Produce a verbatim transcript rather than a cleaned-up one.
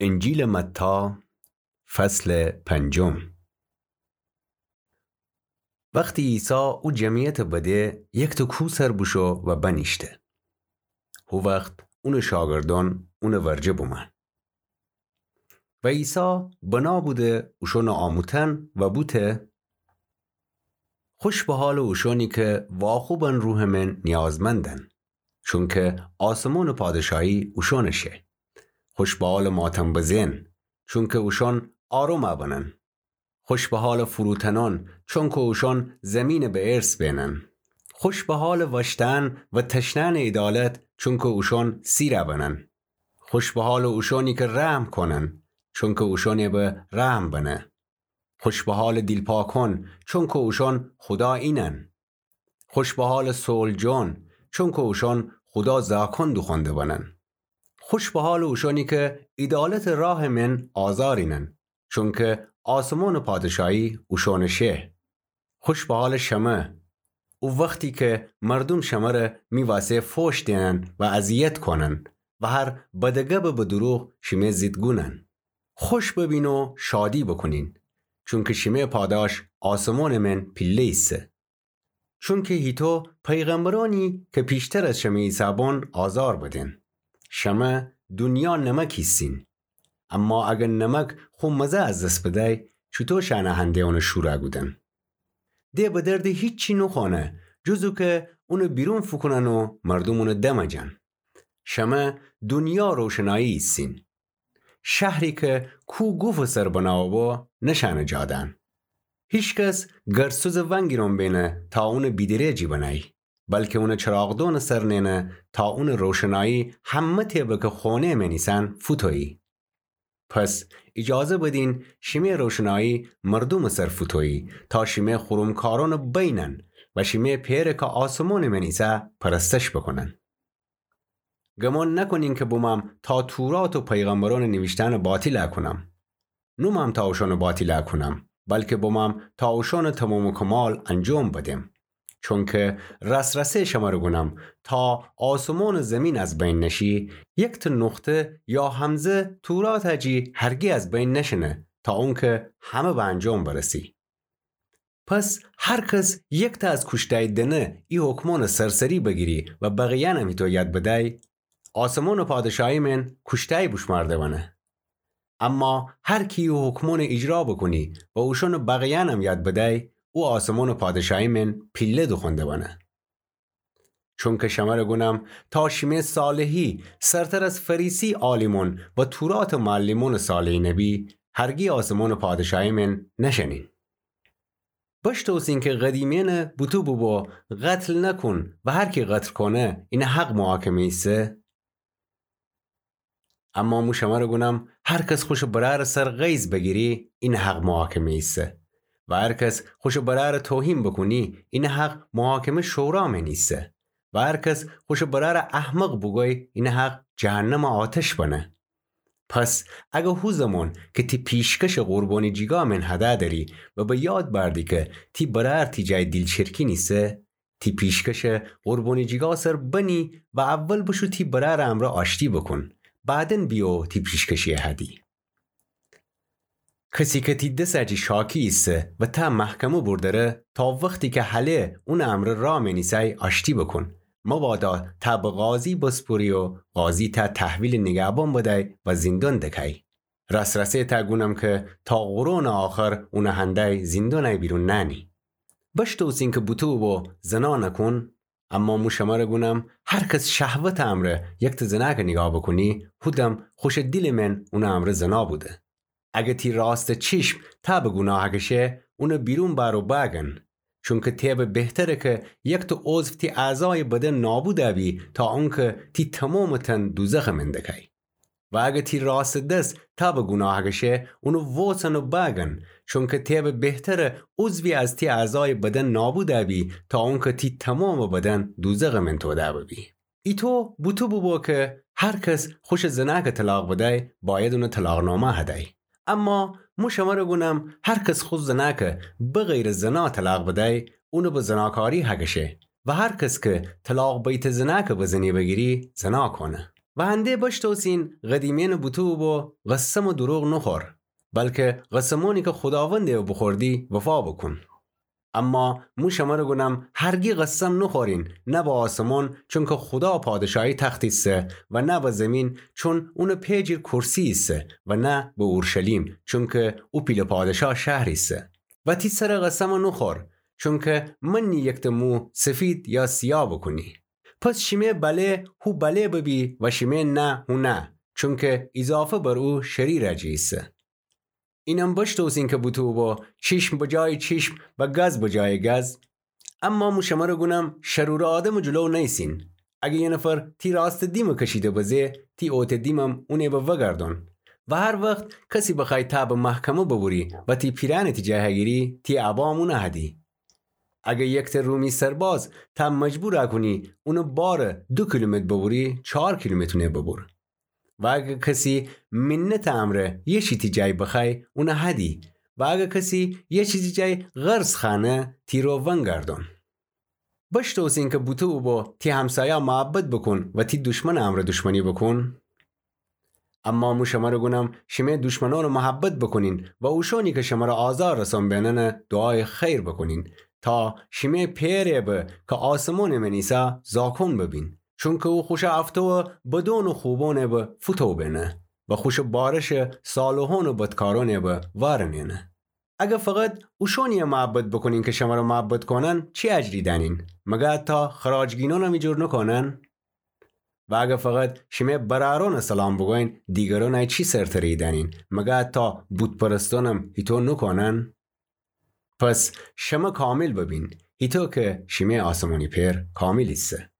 انجیلٚ متی، فصلٚ پنجم. وختی عیسی او جمعیتٚ بده، یکتأ کوه سر بوشو و بنیشته. هو وخت اونٚ شاگردأن اونٚ ورجه بومأن. و عیسی بنا بوده اوشأنٚ آموتن و بوته: خوش به حالٚ اوشأنی که واخوبن روحٚ مئن نیازمندن، چونکه آسمانٚ پادشاهی اوشأنٚ شه. خوش به حالٚ ماتم بزئن، چونکه اوشأن آروم بنن. خوش به حالٚ فروتنأن، چونکه اوشأن زیمینٚ به ارث بینن. خوش به حالٚ وأشتأن و تشنأنٚ عیدالت، چونکه اوشأن سیر بنن. خوش به حالٚ اوشأنی که رحم کونن، چونکه اوشأنٚ به رحم بنه. خوش به حالٚ دیلپاکأن، چونکه اوشأن خودا اینن. خوش به حالٚ صلح‌جویأن، چونکه اوشأن خودا زاکأن دوخوأنده بنن. خوش به حالٚ اوشأنی که عیدالتٚ راهٚ مئن آزارینن، چونکه آسمانٚ پادشاهی اوشأنٚ شه. خوش به حالٚ شمه، او وختی که مردوم شمره می وسه فوش دئنن و اذیت کونن و هر بدٚ گبٚ به دروغ شیمه ضد گونن. خوش ببین و شادی بوکونین، چونکه شیمه پاداش آسمانٚ مئن پیله ایسه. چونکه هیطو پیغمبرأنی که پیشتر از شمه ایسه‌بون آزار بدن. شمه دونیا نمک ایسین. اما اگر نمک خو مزه از دس بدأی، چوطو شأنه هنده اونه شور کودن؟ ده به دردٚ هیچی نوخوأنه، جز او که اونه بیرون فوکونن و مردوم اونه دمجن. شمه دونیا روشنایی ایسین. شهری که کوه گوفٚ سر بنا ببو، نشأنه جا دأن. هیکس گرسوزٚ ونگیرون بینه تا اونه بیدرٚ جی بنأی، بلکه اونه چراغدونٚ سر نئنه تا اونٚ روشنایی همه تأ به که خونه‌یٚ مئن ایسن فوتویی. پس ایجازه بدین شیمه روشنایی مردومٚ سر فوتویی، تا شیمه خورم کارونٚ بینن و شیمه پئره که آسمونٚ مئن ایسه پرستش بوکونن. گمون نوکونین که بمم تا تورات و پیغمبرونٚ نیویشتنٚ باطیل کونم. نومم تا اوشونٚ باطیل کونم، بلکه بمم تا اوشونٚ تموم و کمال انجام بدم. چونکه راس‌راسی شمره گونم، تا آسمونٚ زیمین از بین نشی، یکتأ نقطه یا همزه تورات جی هرگی از بین نشینه، تا اونکه همه به انجام برسی. پس هر کس یکتأ از کوشتأی دنه ای حکمونٚ سرسری بگیری و بقیه‌یأنم هیطو یاد بدأی، آسمونٚ پادشاهی مئن کوشتأی بوشمارده بنه. اما هر کی ای حکمونٚ ایجرا بوکونی و اوشونٚ بقیه‌یأنم یاد بدأی، او آسمونٚ پادشاهی مئن پیله دوخوأنده بنه. چونکه شمره گونم، تا شیمه صالحی سرتر از فریسی عالیمون و توراتٚ معلمونٚ صالحی نبی، هرگی آسمونٚ پادشاهی مئن نشنین. بشتوسین که قدیمه‌یأنه بوته بوبو: قتل نکون و هر کی قتل کونه، اینه حق محاکمه ایسه. اما مو شمره گونم، هر کس خوشٚ برأرٚ سر غیظ بگیری، اینه حق محاکمه ایسه. و هر کس خوشٚ برأرٚ توهین بوکونی، اینه حق محاکمه شورا مئن ایسه. و هر کس خوشٚ برأرٚ احمق بوگوی، اینه حق جهنمٚ آتش بنه. پس اگه هو زمان که تی پیشکشٚ قربانی جیگا مئن هده دری و به یاد بأردی که تی برأر تی جای دیلچرکین ایسه، تی پیشکشٚ قربانی جیگا سر بنی و اول بشو تی برأرٚ امرأ آشتی بوکون، بعداً بیو تی پیشکشی هدی. کسی که تی دس جی شاکی ایسه و تا محکمه بردره، تا وختی که هله اونٚ امرأ را مئن ایسأی آشتی بوکون. مبادا تا به قاضی بسپری و قاضی تا تحویلٚ نیگهبان بدأی و زیندان دکأی. راس‌راسی تا گونم که تا قرونٚ آخر اونٚ هندأی زیندانأی بیرون نأنی. بشتوسین که بوته بوبو زنا نکون، اما مو شمره گونم، هر کس شهوتٚ امرأ یکتأ زنأکه نیگاه بوکونی، هو دم خوشٚ دیلٚ مئن اونٚ امرأ زنا بوده. اگه تی راستٚ چیشم تا به گوناه کشه، اونه بیرون بأر و بأگن. چونکه تی به بهتره که یکتأ عضو تی اعضایٚ بدن نابود بی، تا اونکه تی تومامٚ تن دوزخٚ مئن دکأی. و اگه تی راستٚ دس تا به گوناه کشه، اونه ووسن و بأگن، چونکه تی به بهتره عضوی از تی اعضایٚ بدن نابود بی، تا اونکه تی تومامٚ بدن دوزخٚ مئن توده ببی. ایتو بوته بوبو که هر کس خوشٚ زنأکه طلاق بدأی، باید اونه طلاقنامه هدأی. اما مو شمره گونم، هر کس خو زنأکه بغیرٚ زنا طلاق بدأی، اونه به زناکاری هکشه. و هر کس که طلاق بیته زنأکه به زنی بگیری، زنا کونه. و هنده بشتوسین قدیمه‌یأنٚ بوته اوبو قسم و دروغ نوخور، بلکه قسمأنی که خوداوندٚ ره بوخوردی وفا بوکون. اما مو شمره گونم هرگی قسم نوخورین، نه به آسمون، چونکه خودا پادشاهی تخت ایسه، و نه به زیمین، چون اونٚ پئجیر کرسی ایسه، و نه به اورشلیم، چونکه او پیله پادشاه شهر ایسه. و تی سرٚ قسم نوخور، چونکه من نییکته مو سفید یا سیاه بوکونی. پس شیمه بله هو بله ببی و شیمه نه هو نه، چونکه ایضافه بر او شری راجع ایسه. اینم بشتوسین که بوته اوبو چیشم به جایٚ چیشم و گز به جایٚ گز. اما مو شمره گونم شرورٚ آدمٚ جلو نیسین. اگه یه نفر تی راستٚ دیمه کشیده بزه، تی اوته دیمم اونه به وگردون. و هر وخت کسی بخوای تا به محکمه ببوری و تی پیرأنه تی جا هگیری، تی ابام اونه هدی. اگه یکته رومی سرباز تا مجبور کونی اونه باره دو کیلومتر ببوری، چار کیلومتر اونه ببور. و اگه کسی منتٚ امرأ یه چی تی جای بخوای، اونه هدی. و اگه کسی یه چی تی جای قرض خوأنه، تی رو ونگردون. بشتوسین که بوته اوبو تی همسایا محبت بوکون و تی دوشمنٚ امرأ دوشمنی بوکون. اما مو شمره گونم شیمه دوشمنأنٚ ره محبت بوکونین و اوشأنی که شمره آزار رسون بیننه دوعایٚ خیر بوکونین، تا شیمه پئرٚ ره به که آسمونٚ مئن ایسه زاکون ببین. چونکه او خوشه افتوه بدون و خوبونٚ ره به فوتو بینه و خوشه بارشٚ صالحون و بدکارونٚ ره به وارنینه. اگه فقط اوشأنی ره محبت بوکونین که شمره محبت کونن، چی اجری دأنین؟ مگه حتی خراجگینونم ایجور نوکونن؟ و اگه فقط شیمه برأرونٚ سلام بوگوین، دیگرونٚ چی سرتری دأنین؟ مگه حتی بوت‌پرستونم هیتو نوکونن؟ پس شمه کامل ببین، هیتو که شیمه آسمونی پئر کامل ایسه.